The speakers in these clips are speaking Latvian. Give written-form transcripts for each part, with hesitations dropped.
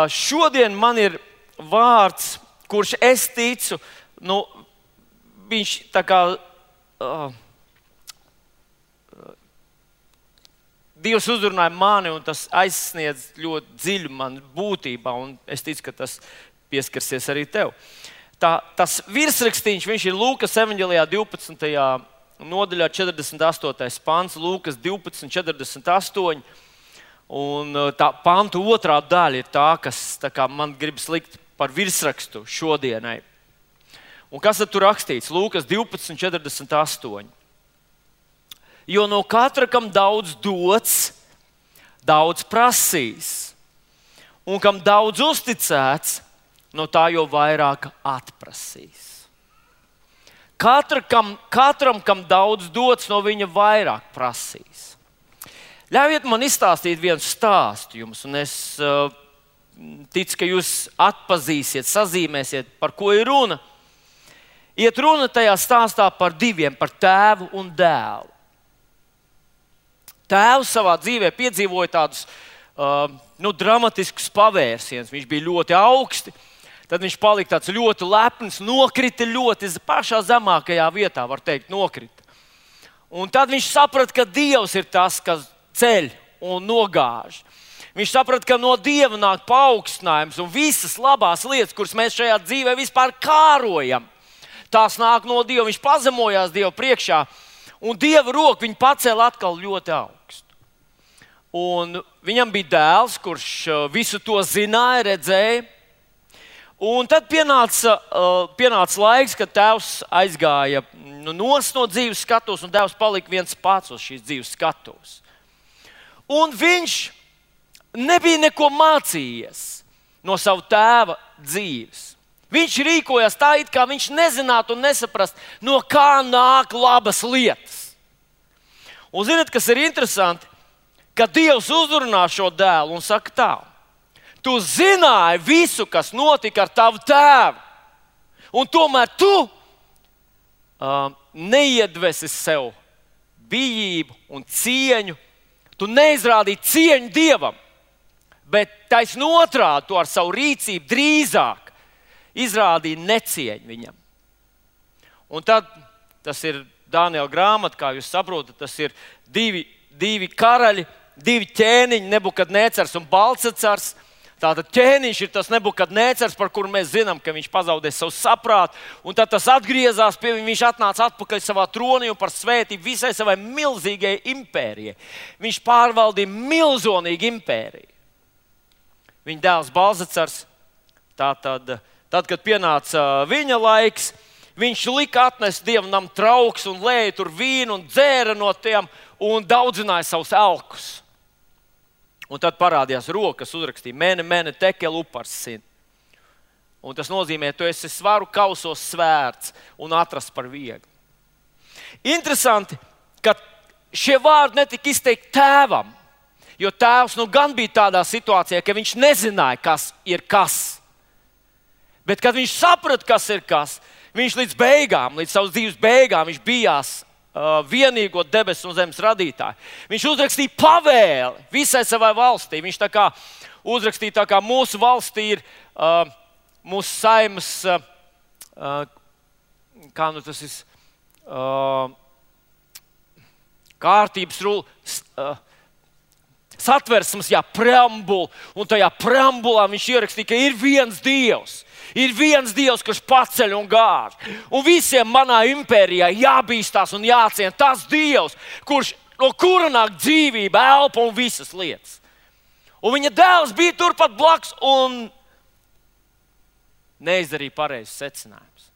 Šodien man ir vārds, kurš es ticu, viņš tā kā Dievs uzrunāja mani, un tas aizsniedz ļoti dziļi man būtībā, un es ticu, ka tas pieskarsies arī tev. Tas virsrakstīns, viņš ir Lūkas evaņģelijā 12. nodaļā 48. pants, Lūkas 12:48, un tā pantu otrā daļa ir tā, kas tā kā man gribas likt par virsrakstu šodienai. Un kas tad tur rakstīts? Lūkas 12:48. Jo no katra, kam daudz dots, daudz prasīs, un kam daudz uzticēts, no tā jau vairāk atprasīs. Katram, kam daudz dots, no viņa vairāk prasīs. Ļaujiet man izstāstīt vienu stāstu jums, un es ticu, ka jūs atpazīsiet, sazīmēsiet, par ko ir runa. Iet runa tajā stāstā par diviem, par tēvu un dēlu. Tēvs savā dzīvē piedzīvoja tādus dramatiskus pavērsienus. Viņš bija ļoti augsti, tad viņš palika tāds ļoti lepns, nokrita ļoti pašā zemākajā vietā, var teikt, nokrita. Un tad viņš saprata, ka Dievs ir tas, kas ceļ un nogāž. Viņš saprata, ka no Dieva nāk paaugstinājums un visas labās lietas, kuras mēs šajā dzīvē vispār kārojam, tās nāk no Dieva. Viņš pazemojās Dieva priekšā. Un Dieva roka viņu pacēla atkal ļoti augstu. Un viņam bija dēls, kurš visu to zināja, redzēja. Un tad pienāca laiks, kad tēvs aizgāja no dzīves skatuves, un dēls palika viens pats uz šīs dzīves skatuves. Un viņš nebija neko mācījies no sava tēva dzīves. Viņš rīkojās tā, it kā viņš nezinātu un nesaprast, no kā nāk labas lietas. Un ziniet, kas ir interesanti? Ka Dievs uzrunā šo dēlu un saka tā: tu zināji visu, kas notika ar tavu tēvu, un tomēr tu neiedvesi sev bijību un cieņu. Tu neizrādīji cieņu Dievam, bet taisn otrādi tu ar savu rīcību drīzāk izrādīja necieņu viņam. Un tad tas ir Daniela grāmata, kā jūs saprotat, tas ir divi karaļi, divi ķēniņi, Nebukadnēcars un Balcacars. Tātad ķēniņš ir tas Nebukadnēcars, par kuru mēs zinām, ka viņš pazaudēja savu saprātu, un tad tas atgriezās pie viņa, viņš atnāca atpakaļ savā tronī un par svētību visai savai milzīgai impērijai. Viņš pārvaldīja milzonīgu impēriju. Viņa dēls Balcacars, tad, kad pienāca viņa laiks, viņš lika atnest Dievam trauks un lēja tur vīnu un dzēra no tiem un daudzināja savus elkus. Un tad parādījās rokas, uzrakstīja mene tekel uparsin. Un tas nozīmē, tu esi svaru kausos svērts un atrasts par vieglu. Interesanti, ka šie vārdi netika izteikti tēvam, jo tēvs gan bija tādā situācijā, ka viņš nezināja, kas ir kas. Bet, kad viņš saprata, kas ir kas, viņš līdz savas dzīves beigām, viņš bijās vienīgo debesu un zemes radītāju. Viņš uzrakstīja pavēli visai savai valstī. Viņš tā kā uzrakstīja, tā kā mūsu valstī ir mūsu saimas, kā nu tas ir, kārtības satversmes, preambula, un tajā preambulā viņš ierakstīja, ka ir viens Dievs. Ir viens Dievs, kurš paceļ un gāž. Un visiem manā impērijā jābīstās un jāciena tas Dievs, no kura nāk dzīvība, elpa un visas lietas. Un viņa dēls bija turpat blakus un neizdarīja pareizes secinājumus.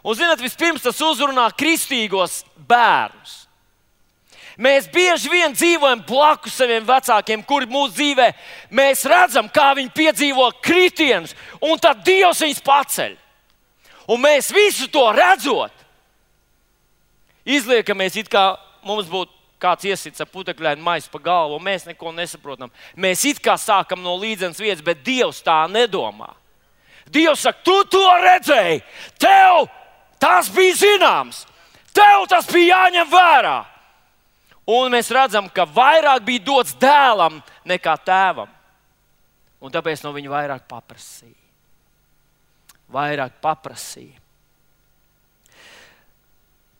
Un zināt, vispirms tas uzrunā kristīgos bērnus. Mēs bieži vien dzīvojam blakus saviem vecākiem, kuri mūsu dzīvē mēs redzam, kā viņi piedzīvo kritienus, un tad Dievs viņus paceļ. Un mēs visu to redzot, izliekamies, it kā mums būtu kāds iesits ar putekļainu maisu pa galvu, un mēs neko nesaprotam. Mēs it kā sākam no līdzenas vietas, bet Dievs tā nedomā. Dievs saka, tu to redzēji, tev tas bija zināms, tev tas bija jāņem vērā. Un mēs redzam, ka vairāk bija dots dēlam nekā tēvam. Un tāpēc no viņa vairāk paprasīja. Vairāk paprasīja.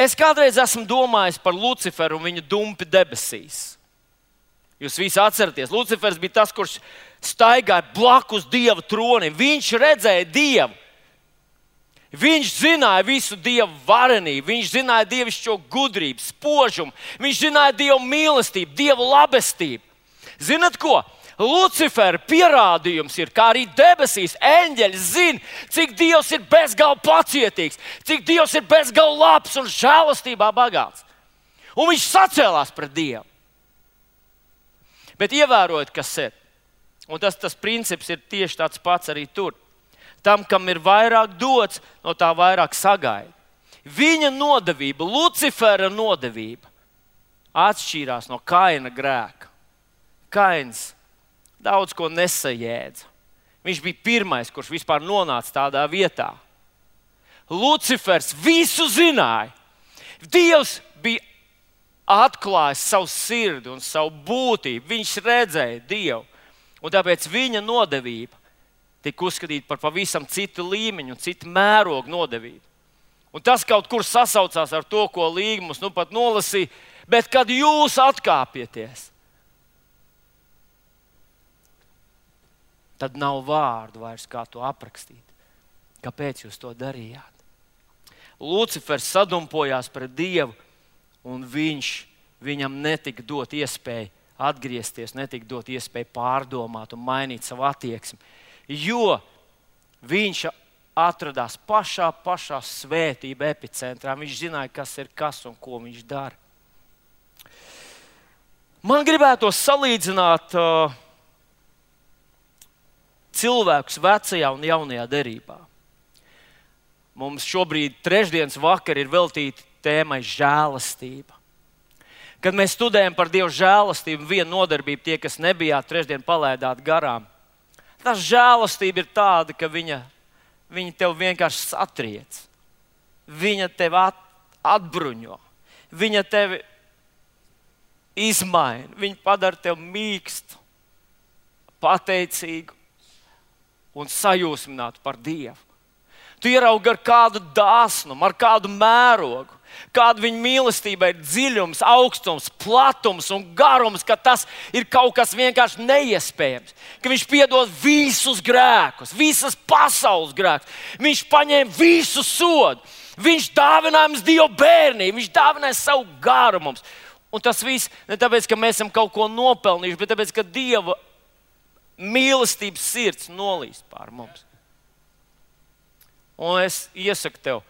Es kādreiz esmu domājis par Luciferu un viņa dumpi debesīs. Jūs visi atceraties, Lucifers bija tas, kurš staigāja blakus Dieva tronim. Viņš redzēja Dievu. Viņš zināja visu Dieva varenību, viņš zināja dievišķo gudrību, spožumu, viņš zināja Dieva mīlestību, Dieva labestību. Zinat ko? Lucifera pierādījums ir, kā arī debesīs eņģeļi zina, cik Dievs ir bezgalīgi pacietīgs, cik Dievs ir bezgalīgi labs un žēlastībā bagāts. Un viņš sacēlās pret Dievu. Bet ievērojiet, kas ir. Un tas princips ir tieši tāds pats arī tur. Tam, kam ir vairāk dots, no tā vairāk sagaida. Viņa nodevība, Lucifera nodevība, atšķīrās no Kaina grēka. Kains daudz ko nesajēdza. Viņš bija pirmais, kurš vispār nonāca tādā vietā. Lucifers visu zināja. Dievs bija atklājis savu sirdi un savu būtību. Viņš redzēja Dievu. Un tāpēc viņa nodevība tika uzskatīta par pavisam citu līmeņu un citu mērogu nodevību. Un tas kaut kur sasaucās ar to, ko Līga mums nu pat nolasīja. Bet kad jūs atkāpieties, tad nav vārdu vairs, kā to aprakstīt. Kāpēc jūs to darījāt? Lucifers sadumpojās pret Dievu, un viņam netika dot iespēju atgriezties, netika dot iespēju pārdomāt un mainīt savu attieksmi. Jo viņš atradās pašā svētība epicentrā. Viņš zināja, kas ir kas un ko viņš dara. Man gribētos salīdzināt cilvēkus vecajā un jaunajā derībā. Mums šobrīd trešdienas vakar ir veltīta tēmai žēlastība. Kad mēs studējam par Dieva žēlastību, viena nodarbība, tie, kas nebijāt trešdien, palaidāt garām. Tā žēlastība ir tāda, ka viņa tev vienkārši satriec. Viņa tev atbruņo. Viņa tevi izmaina. Viņa padara tev mīkstu, pateicīgu un sajūsminātu par Dievu. Tu ieraugi ar kādu dāsnumu, ar kādu mērogu, kāda viņa mīlestība ir dziļums, augstums, platums un garums, ka tas ir kaut kas vienkārši neiespējams. Ka viņš piedod visus grēkus, visas pasaules grēkus. Viņš paņēma visu sodu. Viņš dāvināja mums Dieva bērnību, viņš dāvināja savu garu mums. Un tas viss ne tāpēc, ka mēs esam kaut ko nopelnījuši, bet tāpēc, ka Dieva mīlestības sirds nolīst pār mums. Un es iesaku tev,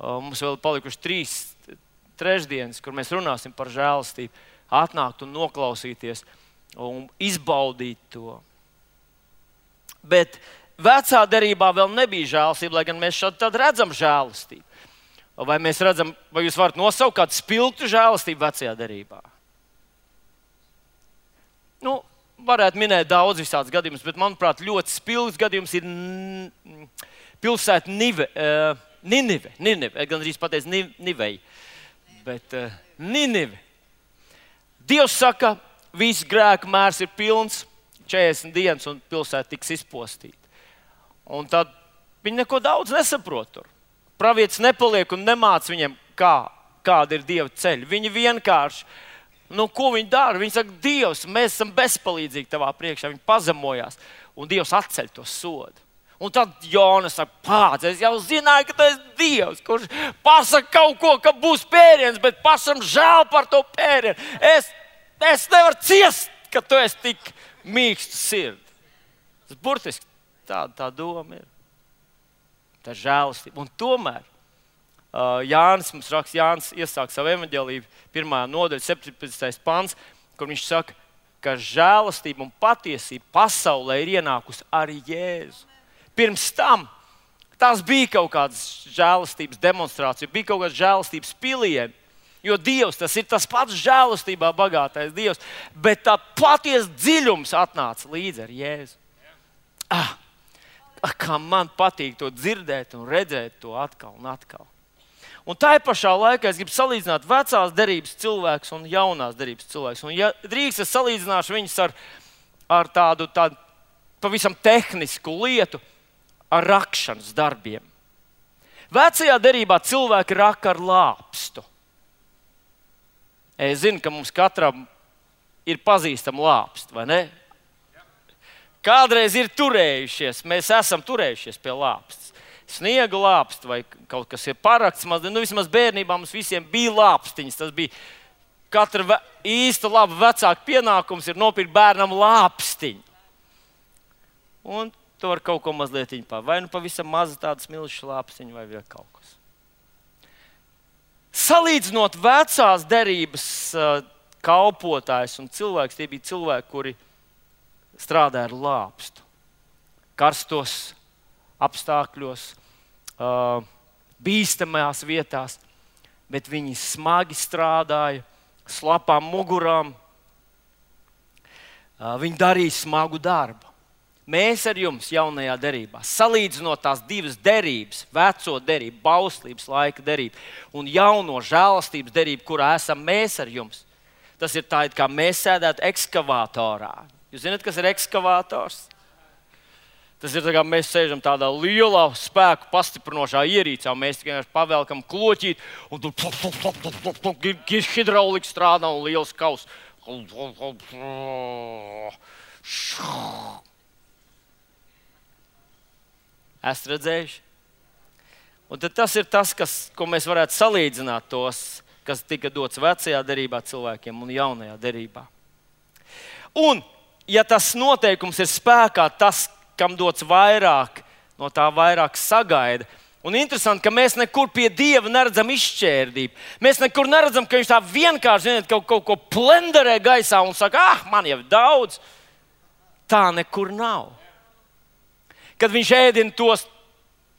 mums vēl palikuši 3 trešdienas, kur mēs runāsim par žēlastību, atnākt un noklausīties un izbaudīt to. Bet vecā derībā vēl nebija žēlastība, lai gan mēs šādi redzam žēlastību. Vai mēs redzam, vai jūs varat nosaukt kādu spilgtu žēlastību vecajā derībā? Nu, varētu minēt daudz visādus gadījumus, bet manuprāt ļoti spilgts gadījums ir pilsēta Ninive. Gan arī pateicu Niveja, bet Ninive. Dievs saka, viss grēku mērs ir pilns, 40 dienas un pilsēta tiks izpostīta. Un tad viņi neko daudz nesaprot tur. Pravietis nepaliek un nemāc viņiem, kāda ir Dieva ceļa. Viņi vienkārši, ko viņi dara? Viņi saka, Dievs, mēs esam bezpalīdzīgi tavā priekšā. Viņi pazemojās un Dievs atceļ to sodu. Un tad Jona saka, pāc, es jau zināju, ka tu esi Dievs, kurš pasaka kaut ko, ka būs pēriens, bet pašam žēl par to pērienu. Es nevaru ciest, ka tu esi tik mīkstu sirdi. Tas burtiski tā doma ir. Tā ir žēlastība. Un tomēr Jānis mums raksta, Jānis iesāk savu evaņģēliju 1. nodaļa, 17. pants, kur viņš saka, ka žēlastība un patiesība pasaulē ir ienākusi ar Jēzu. Pirms tam tās bija kaut kādas žēlastības demonstrācijas, bija kaut kādas žēlastības pilieni, jo Dievs, tas ir tas pats žēlastībā bagātais Dievs, bet tā patiesa dziļums atnāca līdzi ar Jēzu. Kā man patīk to dzirdēt un redzēt to atkal un atkal. Un tā pašā laikā es gribu salīdzināt vecās derības cilvēkus un jaunās derības cilvēkus. Un ja drīkst, es salīdzināšu viņus ar tādu pavisam tehnisku lietu ar rakšanas darbiem. Vecajā derībā cilvēki raka ar lāpstu. Es zinu, ka mums katram ir pazīstama lāpsta, vai ne? Kādreiz ir turējušies, mēs esam turējušies pie lāpstas. Sniega lāpsta vai kaut kas ir parakts. Vismaz bērnībā mums visiem bija lāpstiņas. Tas bija katra īsta laba vecāka pienākums ir nopirkt bērnam lāpstiņu. Un to var kaut ko mazliet vai nu pavisam maza tāda smilšu lāpstiņa vai vēl kaut kas. Salīdzinot vecās derības kalpotājs un cilvēks, tie bija cilvēki, kuri strādāja ar lāpstu. Karstos apstākļos, bīstamās vietās, bet viņi smagi strādāja, slapām mugurām. Viņi darīja smagu darbu. Mēs ar jums jaunajā derībā, salīdzinot tās divas derības, veco derību, bauslības laika derību un jauno žēlastības derību, kurā esam mēs ar jums, tas ir tā, it kā mēs sēdētu ekskavātorā. Jūs zināt, kas ir ekskavātors? Tas ir tā, kā mēs sēžam tādā lielā spēku pastiprinošā ierīcā, mēs tikai pavelkam kloķīt, un tur hidraulika strādā un liels kaus. Esat redzējuši? Un tad tas ir tas, ko mēs varētu salīdzināt tos, kas tika dots vecajā derībā cilvēkiem un jaunajā derībā. Un, ja tas noteikums ir spēkā, tas, kam dots vairāk, no tā vairāk sagaida. Un interesanti, ka mēs nekur pie Dieva neredzam izšķērdību. Mēs nekur neredzam, ka viņš tā vienkārši kaut ko plenderē gaisā un saka, man jau daudz. Tā nekur nav. Kad viņš ēdina tos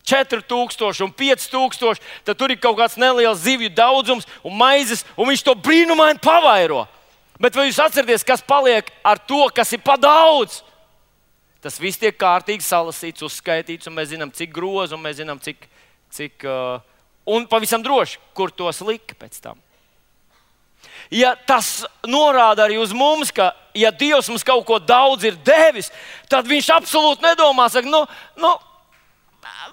4000 un 5000, tad tur ir kaut kāds neliels zivju daudzums un maizes, un viņš to brīnumaini pavairo. Bet vai jūs atceraties, kas paliek ar to, kas ir pa daudz? Tas viss tiek kārtīgi salasīts, uzskaitīts, un mēs zinām, cik grozu, un mēs zinām, un pavisam droši, kur tos lika pēc tam. Ja tas norāda arī uz mums, ka, ja Dievs mums kaut ko daudz ir devis, tad viņš absolūti nedomā, saka,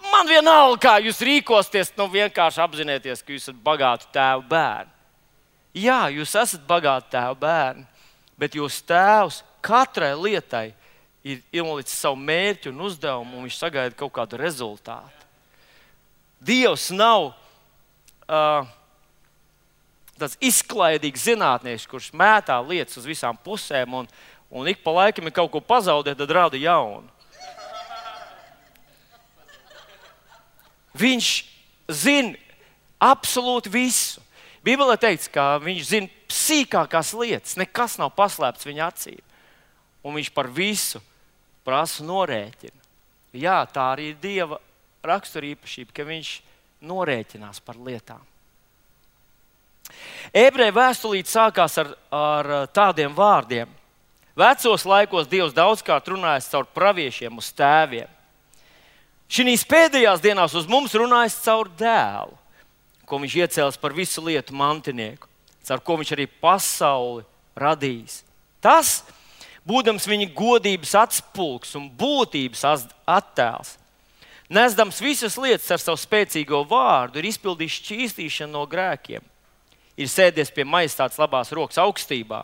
man vienalga, kā jūs rīkosties, vienkārši apzināties, ka jūs esat bagāti tēvu bērni. Jā, jūs esat bagāti tēvu bērni, bet jūsu tēvs katrai lietai ir ielicis savu mērķi un uzdevumu, un viņš sagaida kaut kādu rezultātu. Dievs nav tāds izklaidīgs zinātnieks, kurš mētā lietas uz visām pusēm un ik pa laikam, ja kaut ko pazaudē, tad rada jaunu. Viņš zina absolūti visu. Bībelē teikts, ka viņš zina sīkākās lietas, nekas nav paslēpts viņa acīm. Un viņš par visu prasa norēķinu. Jā, tā arī ir Dieva raksturīpašība, ka viņš norēķinās par lietām. Ebreju vēstulīte sākās ar tādiem vārdiem. Vecos laikos Dievs daudzkārt runājis caur praviešiem uz tēviem. Šīs pēdējās dienās uz mums runājis caur dēlu, ko viņš iecēlis par visu lietu mantinieku, caur ko viņš arī pasauli radījis. Tas, būdams viņa godības atspulgs un būtības attēls, nesdams visas lietas ar savu spēcīgo vārdu, ir izpildījis šķīstīšanu no grēkiem. Ir sēdies pie majestātes labās rokas augstībā.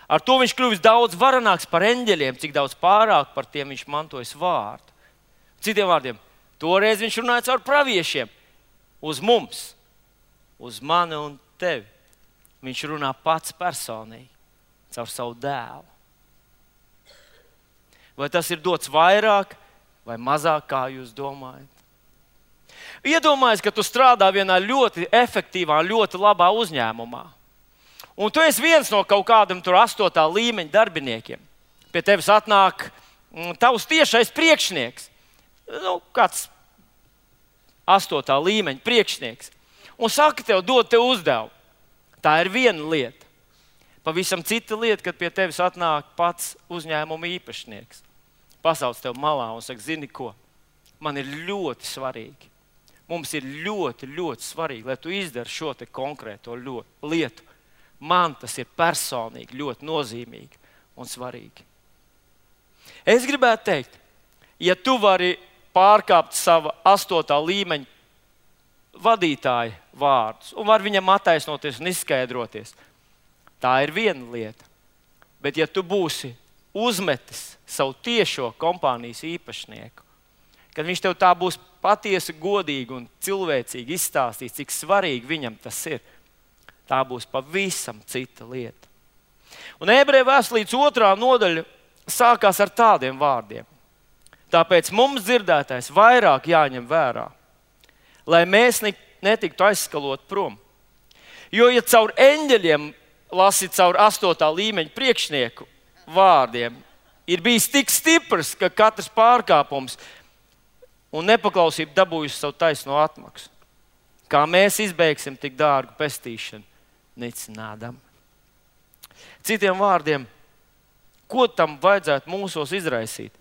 Ar to viņš kļuvis daudz varenāks par eņģeļiem, cik daudz pārāk par tiem viņš mantojas vārdu. Citiem vārdiem, toreiz viņš runāja caur praviešiem uz mums, uz mani un tevi. Viņš runā pats personīgi, caur savu dēlu. Vai tas ir dots vairāk vai mazāk, kā jūs domājat? Iedomājies, ka tu strādā vienā ļoti efektīvā, ļoti labā uzņēmumā. Un tu esi viens no kaut kādiem 8. līmeņa darbiniekiem. Pie tevis atnāk tavs tiešais priekšnieks. Kāds 8. līmeņa priekšnieks. Un saka tev, dod tev uzdevumu. Tā ir viena lieta. Pavisam cita lieta, kad pie tevis atnāk pats uzņēmuma īpašnieks. Pasauc tev malā un saka, zini ko, man ir ļoti svarīgi. Mums ir ļoti, ļoti svarīgi, lai tu izdari šo te konkrēto lietu. Man tas ir personīgi ļoti nozīmīgi un svarīgi. Es gribētu teikt, ja tu vari pārkāpt sava 8. līmeņa vadītāja vārdus un var viņam attaisnoties un izskaidroties, tā ir viena lieta. Bet ja tu būsi uzmetis savu tiešo kompānijas īpašnieku, kad viņš tev tā būs patiesi godīgi un cilvēcīgi izstāstīs, cik svarīgi viņam tas ir, tā būs pavisam cita lieta. Un Ebreju vēstulītes 2. nodaļa sākās ar tādiem vārdiem. Tāpēc mums dzirdētais vairāk jāņem vērā, lai mēs netiktu aizskalot prom. Jo, ja caur eņģeļiem lasīt caur 8. līmeņa priekšnieku vārdiem, ir bijis tik stiprs, ka katrs pārkāpums un nepaklausība dabūjusi savu taisno atmaksu. Kā mēs izbeigsim tik dārgu pestīšanu, nicinādam. Citiem vārdiem, ko tam vajadzētu mūsos izraisīt?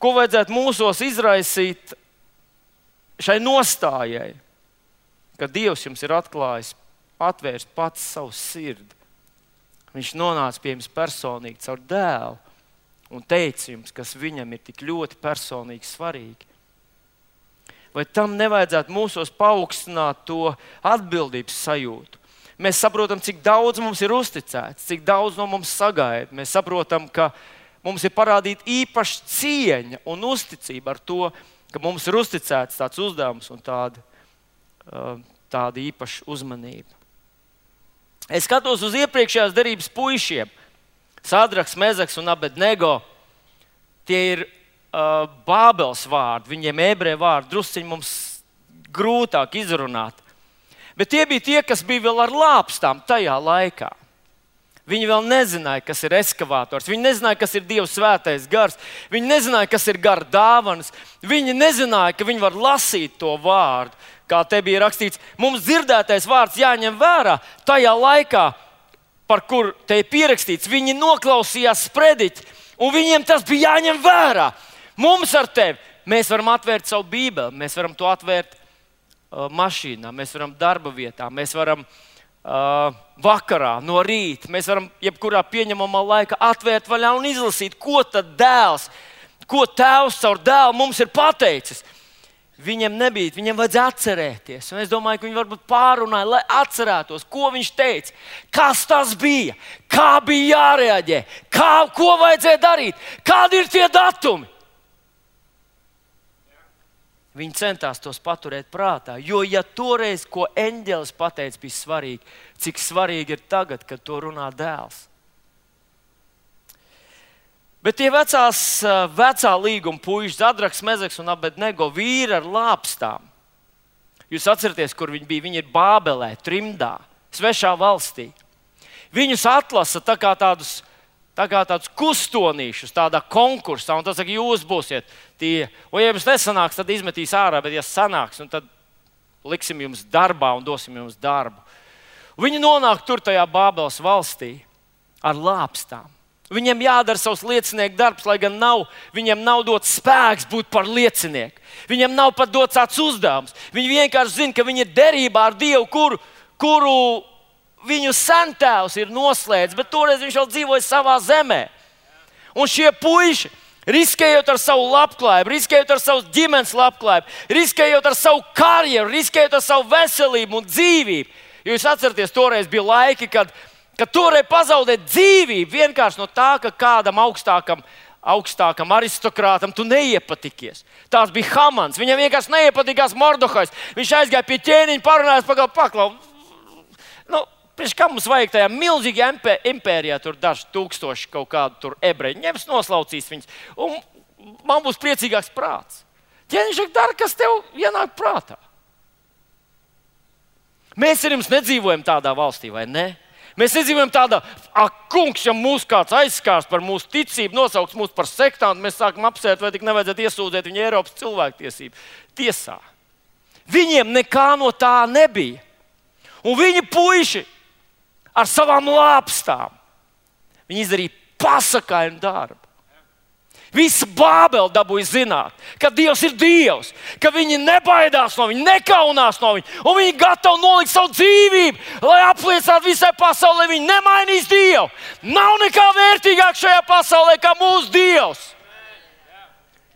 Ko vajadzētu mūsos izraisīt šai nostājai, ka Dievs jums ir atklājis, atvērst pats savu sirdi. Viņš nonāca pie jums personīgi caur dēlu un teica jums, kas viņam ir tik ļoti personīgi svarīgi. Vai tam nevajadzētu mūsos paaugstināt to atbildības sajūtu? Mēs saprotam, cik daudz mums ir uzticēts, cik daudz no mums sagaida. Mēs saprotam, ka mums ir parādīta īpaša cieņa un uzticība ar to, ka mums ir uzticēts tāds uzdevums un tāda īpaša uzmanība. Es skatos uz iepriekšējās derības puišiem, Sadraks, Mezaks un Abednego. Tie ir Bābeles vārdi, viņiem ebreju vārdi, drusciņi mums grūtāk izrunāt. Bet tie bija tie, kas bija vēl ar lāpstām tajā laikā. Viņi vēl nezināja, kas ir eskavators, viņi nezināja, kas ir Dieva svētais gars, viņi nezināja, kas ir gara dāvanas, viņi nezināja, ka viņi var lasīt to vārdu. Kā te bija rakstīts, mums dzirdētais vārds jāņem vērā tajā laikā, par kur te ir pierakstīts. Viņi noklausījās sprediķi, un viņiem tas bija jāņem vērā. Mums ar tevi, mēs varam atvērt savu Bībeli, mēs varam to atvērt mašīnā, mēs varam darba vietā, mēs varam vakarā, no rīta, mēs varam jebkurā pieņemamā laikā atvērt vaļā un izlasīt, ko tad dēls, ko tēvs caur dēlu mums ir pateicis. Viņiem nebija, viņiem vajadzēja atcerēties. Un es domāju, ka viņi varbūt pārunāja, lai atcerētos, ko viņš teica, kas tas bija, kā bija jārēģē, ko vajadzēja darīt, kādi ir tie datumi. Viņi centās tos paturēt prātā, jo ja toreiz, ko eņģelis pateica, bija svarīgi, cik svarīgi ir tagad, kad to runā dēls. Bet tie vecā līguma puiši, Sadraks, Mezaks un Abednego, vīri ar lāpstām. Jūs atceraties, kur viņi bija? Viņi ir Bābelē, trimdā, svešā valstī. Viņus atlasa tā kā tādus kustonīšus, tādā konkursā, un tas saka, jūs būsiet tie. Un ja jums nesanāks, tad izmetīs ārā, bet ja sanāks, tad liksim jums darbā un dosim jums darbu. Viņi nonāk tur tajā Bābeles valstī ar lāpstām. Viņiem jādara savs liecinieku darbs, lai gan viņiem nav dots spēks būt par liecinieku. Viņiem nav pat dots tāds uzdevums. Viņi vienkārši zina, ka viņi ir derībā ar Dievu, kuru viņu sentēvs ir noslēdzis, bet toreiz viņš vēl dzīvoja savā zemē. Un šie puiši, riskējot ar savu labklājību, riskējot ar savu ģimenes labklājību, riskējot ar savu karjeru, riskējot ar savu veselību un dzīvību. Jo jūs atceraties, toreiz bija laiki, kad toreiz pazaudēt dzīvību vienkārši no tā, ka kādam augstākam aristokrātam tu neiepatikies. Tās bija Hamans. Viņam vienkārši neiepatikās Mordehais. Viņš aizgāja pie ķēniņa, parunājās, paklau. Kā mums vajag tajā milzīgajā impērijā, tur daži tūkstoši kaut kādu tur ebreji ņems, noslaucīs viņus, un man būs priecīgāks prāts. Ķēniņš dara, kas tev ienāk prātā. Mēs ar jums nedzīvojam tādā valstī, vai ne? Mēs nedzīvojam tādā, kungs, ja mūs kāds aizskārs par mūsu ticību, nosauks mūs par sektantu, mēs sākam apsvērt, vai tik nevajadzētu iesūdzēt viņu Eiropas cilvēktiesību tiesā. Viņiem nekā no tā nebija. Un viņi puiši ar savām lāpstām, viņi izdarīja pasakainu darbu. Visa Bābele dabūja zināt, ka Dievs ir Dievs, ka viņi nebaidās no viņa, nekaunās no viņa, un viņi gatavi nolikt savu dzīvību, lai apliecinātu visai pasaulē, viņi nemainīs Dievu. Nav nekā vērtīgāk šajā pasaulē kā mūsu Dievs.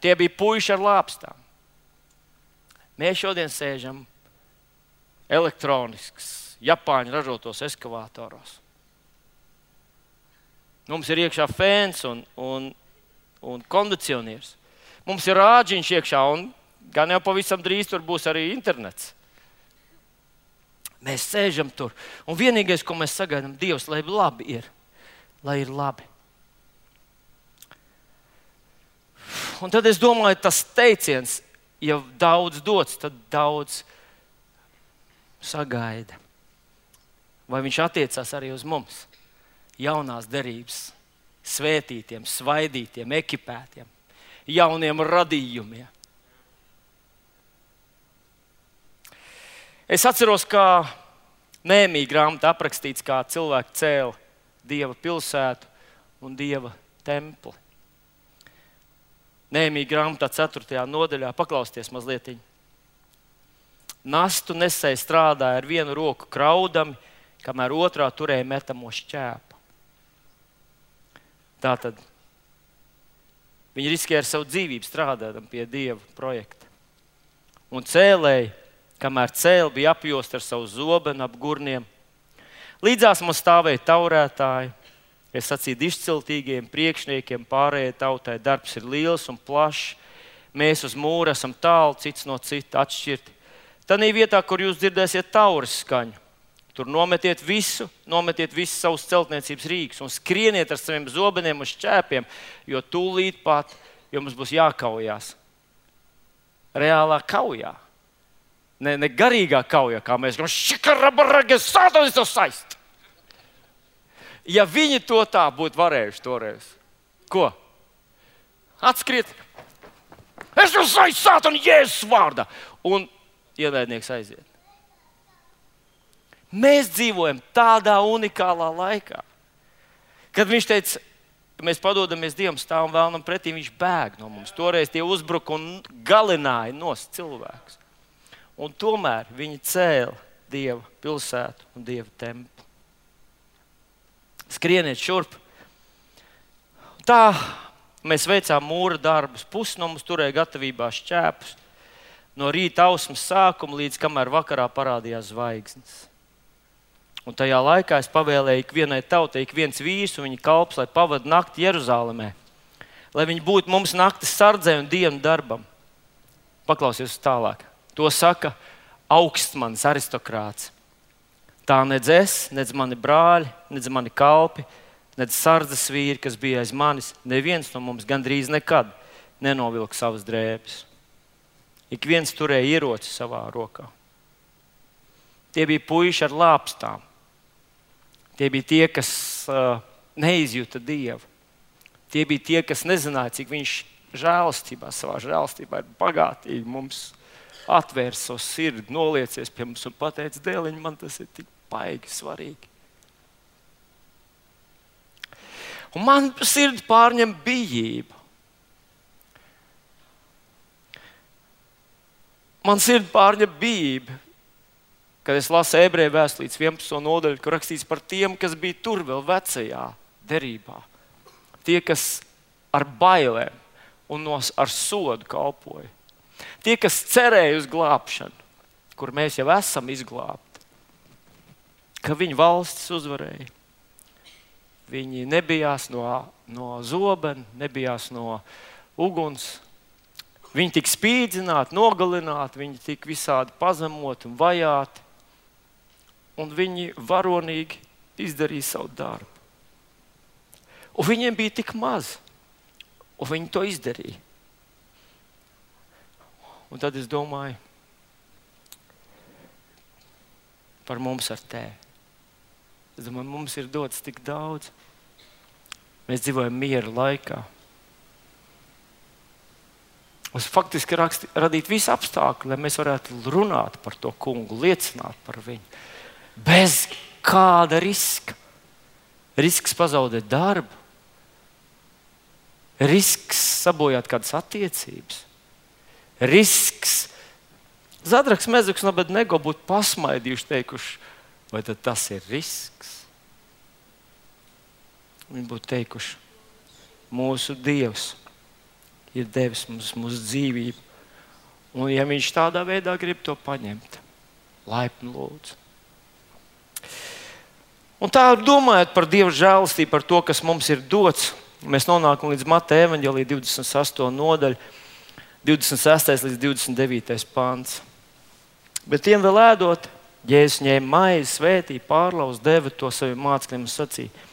Tie bija puiši ar lāpstām. Mēs šodien sēžam elektronisks, Japāņu ražotos ekskavātoros. Mums ir iekšā fēns un kondicionieris. Mums ir rāģiņš iekšā un gan jau pavisam drīz tur būs arī internets. Mēs sēžam tur un vienīgais, ko mēs sagaidām, Dievs, lai labi ir. Lai ir labi. Un tad es domāju, tas teiciens, ja daudz dots, tad daudz sagaida. Vai viņš attiecās arī uz mums? Jaunās derības, svētītiem, svaidītiem, ekipētiem, jauniem radījumiem. Es atceros, kā Nehemija grāmatā aprakstīts, kā cilvēki cēla Dieva pilsētu un Dieva templi. Nehemija grāmatā 4. nodaļā, paklausties mazlietiņ. Nastu nesēji strādāja ar vienu roku kraudami, kamēr otrā turēja metamo šķēpu. Tātad viņi riskēja ar savu dzīvību strādājot pie Dieva projekta. Un cēlēji, kamēr cēli, bija apjosti ar savu zobenu ap gurniem. Līdzās man stāvēja taurētāji, es sacīju izciltīgiem priekšniekiem, pārējai tautai darbs ir liels un plašs. Mēs uz mūra esam tālu, cits no cita atšķirti. Tanī vietā, kur jūs dzirdēsiet tauras skaņu, tur nometiet visu savus celtniecības rīkus un skrieniet ar saviem zobeniem un šķēpiem, jo tūlīt pat jums būs jākaujās. Reālā kaujā. Ne garīgā kaujā, kā mēs gribam, šikarabarage, sātanis to saist. Ja viņi to tā būtu varējuši toreiz, ko? Atskriet. Es jūs saistu sātani Jēzus vārdā. Un ienaidnieks aiziet. Mēs dzīvojam tādā unikālā laikā, kad viņš teica, ka mēs padodamies Dievam, stāvam vēlnam pretī, viņš bēg no mums. Toreiz tie uzbruka un galināja nost cilvēkus. Un tomēr viņi cēla Dieva pilsētu un Dieva templi. Skrieniet šurp. Tā mēs veicām mūra darbus. Pusi no mums turēja gatavībā šķēpus. No rīta ausmas sākuma līdz kamēr vakarā parādījās zvaigznes. Un tajā laikā es pavēlēju ikvienai tautai, ik viens vīrs un viņa kalps, lai pavada nakti Jeruzalemē. Lai viņi būtu mums naktis sardzē un dienu darbam. Paklausies tālāk. To saka augstmanis aristokrāts. Tā nedz es, nedz mani brāļi, nedz mani kalpi, nedz sardzes vīri, kas bija aiz manis, neviens no mums gandrīz nekad nenovilka savas drēbes. Ik viens turēja ieroci savā rokā. Tie bija puiši ar lāpstām. Tie bija tie, kas neizjuta Dievu. Tie bija tie, kas nezināja, cik viņš savā žēlastībā ir bagātīgi mums atvērs savu sirdi, noliecies pie mums un pateica, dēliņ, man tas ir tik baigi svarīgi. Un man sirdi pārņem bijība. Man sirdi pārņem bijība, kad es lasu Ebreju vēstulītes 11. nodaļu, kur rakstīts par tiem, kas bija tur vēl vecajā derībā. Tie, kas ar bailēm un ar sodu kalpoja. Tie, kas cerēja uz glābšanu, kur mēs jau esam izglābti, ka viņu valstis uzvarēja. Viņi nebijās no zobena, nebijās no uguns. Viņi tika spīdzināti, nogalināti, viņi tika visādi pazemoti un vajāti. Un viņi varonīgi izdarīja savu darbu. Un viņiem bija tik maz, un viņi to izdarīja. Un tad es domāju par mums ar tēvi. Es domāju, mums ir dots tik daudz. Mēs dzīvojam miera laikā. Mums faktiski radīt visu apstākļu, lai mēs varētu runāt par to kungu, liecināt par viņu. Bez kāda riska. Risks pazaudēt darbu. Risks sabojāt kādas attiecības. Risks. Zadraks, Mezuks un Abednego būtu pasmaidījuši, teikuši, vai tad tas ir risks? Viņi būtu teikuši, mūsu Dievs ir devis mums mūsu dzīvību. Un ja viņš tādā veidā grib to paņemt, laipni lūdzu. Un tā domājot par Dieva žēlastību, par to, kas mums ir dots, mēs nonākam līdz Mateja evaņģēlija 28. nodaļa, 26. līdz 29. pants. Bet tiem vēl ēdot, Jēzus ņēma maizi, svētīja, pārlauza, deva to saviem mācekļiem un sacīja: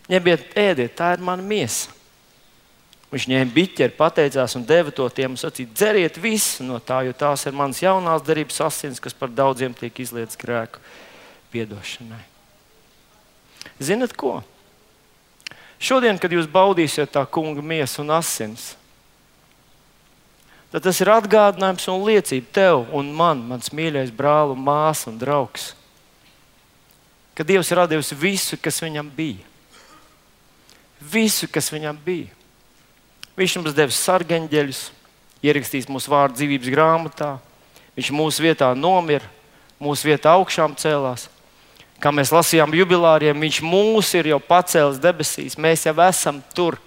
ņemiet, ēdiet, tā ir mana miesa. Viņš ņēma biķeri, pateicās un deva to tiem un sacīja: dzeriet visu no tā, jo tās ir manas jaunās derības asins, kas par daudziem tiek izlietas grēku piedošanai. Zinat ko? Šodien, kad jūs baudīsiet tā kunga miesu un asins, tad tas ir atgādinājums un liecība tev un man, mans mīļais brāl un māsa un draugs, ka Dievs ir devis visu, kas viņam bija. Visu, kas viņam bija. Viņš mums devis sargeņģeļus, ierakstījis mūsu vārdu dzīvības grāmatā. Viņš mūsu vietā nomira, mūsu vietā augšām cēlās. Kā mēs lasījām jubilāriem, viņš mūs ir jau pacēlis debesīs. Mēs jau esam tur.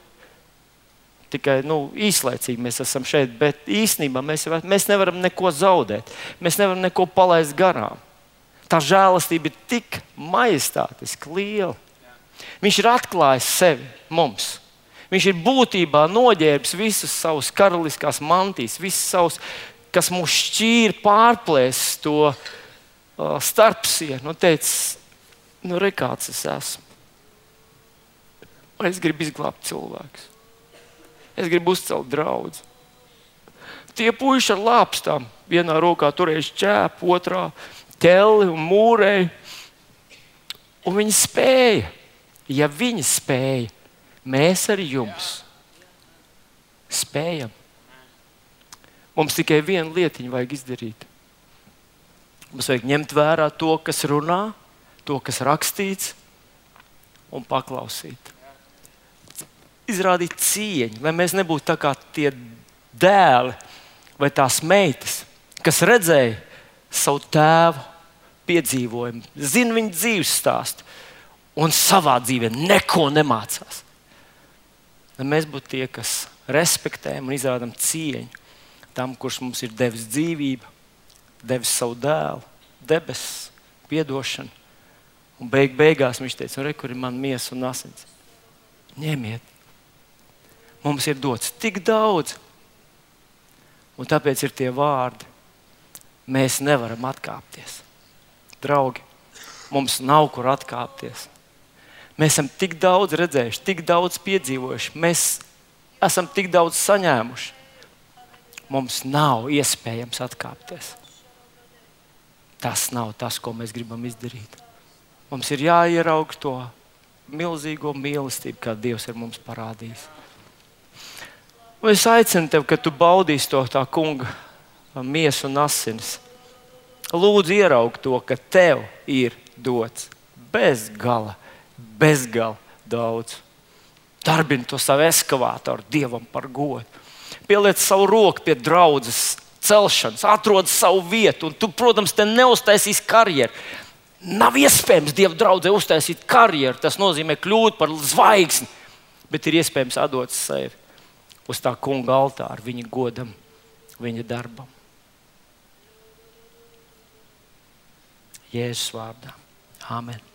Tikai īslaicīgi mēs esam šeit, bet īstenībā mēs nevaram neko zaudēt. Mēs nevaram neko palaist garām. Tā žēlastība ir tik majestātiski liela. Viņš ir atklājis sevi mums. Viņš ir būtībā noģērbis visas savas karaliskās mantijas, visas savas, kas mūs šķīra, pārplēs to starpsienu. Teicis, re kāds es esmu. Es gribu izglābt cilvēkus. Es gribu uzcelt draudzi. Tie puiši ar lāpstām, vienā rokā turējuši ķēpu, otrā ķelli un mūrēju. Un viņi spēja. Ja viņi spēja, mēs arī jums spējam. Mums tikai vienu lietiņu vajag izdarīt. Mums vajag ņemt vērā to, kas runā, to, kas rakstīts, un paklausīt. Izrādīt cieņu, lai mēs nebūtu tā kā tie dēli vai tās meitas, kas redzēja savu tēvu piedzīvojumu, zina viņa dzīves stāstu un savā dzīvē neko nemācās. Lai mēs būtu tie, kas respektējam un izrādam cieņu tam, kurš mums ir devis dzīvību, devis savu dēlu, debesis, piedošanu. Un beigās viņš teica, re, kur ir mana miesa un asins. Ņemiet. Mums ir dots tik daudz. Un tāpēc ir tie vārdi. Mēs nevaram atkāpties. Draugi, mums nav kur atkāpties. Mēs esam tik daudz redzējuši, tik daudz piedzīvojuši. Mēs esam tik daudz saņēmuši. Mums nav iespējams atkāpties. Tas nav tas, ko mēs gribam izdarīt. Mums ir jāieraug to milzīgo mīlestību, kā Dievs ir mums parādījis. Un es aicinu tevi, kad tu baudīsi to tā kunga miesu un asinis. Lūdzu ieraug to, ka tev ir dots bez gala daudz. Darbini to savu eskavātoru Dievam par godu. Pieliec savu roku pie draudzes celšanas, atrod savu vietu. Un tu, protams, te neuztaisīsi karjeru. Nav iespējams Dieva draudzē uztaisīt karjeru. Tas nozīmē kļūt par zvaigzni. Bet ir iespējams atdot sevi uz tā kunga altāra, viņa godam, viņa darbam. Jēzus vārdā. Āmen.